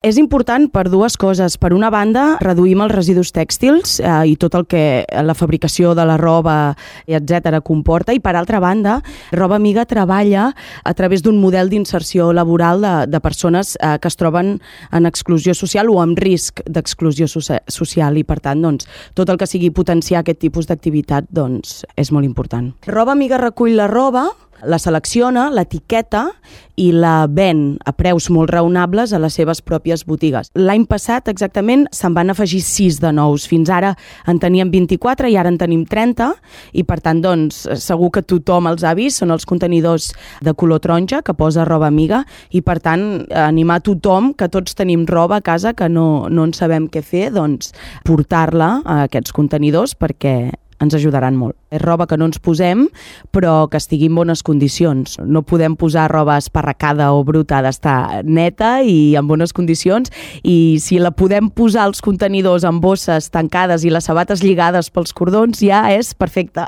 És important per dues coses. Per una banda, reduïm els residus tèxtils i tot el que la fabricació de la roba, etc. comporta. I per altra banda, Roba Amiga treballa a través d'un model d'inserció laboral de persones que es troben en exclusió social o amb risc d'exclusió social. I per tant, doncs, tot el que sigui potenciar aquest tipus d'activitat doncs, és molt important. Roba Amiga recull la roba, la selecciona, l'etiqueta i la ven a preus molt raonables a les seves pròpies botigues. L'any passat, exactament, se'n van afegir 6 de nous. Fins ara en teníem 24 i ara en tenim 30 i, per tant, doncs, segur que tothom els ha vist. Són els contenidors de color taronja que posa Roba Amiga i, per tant, animar tothom, que tots tenim roba a casa que no en sabem què fer, doncs, portar-la a aquests contenidors perquè ens ajudaran molt. És roba que no ens posem, però que estigui en bones condicions. No podem posar roba esparracada o bruta, ha d'estar neta i en bones condicions, i si la podem posar als contenidors amb bosses tancades i les sabates lligades pels cordons, ja és perfecte.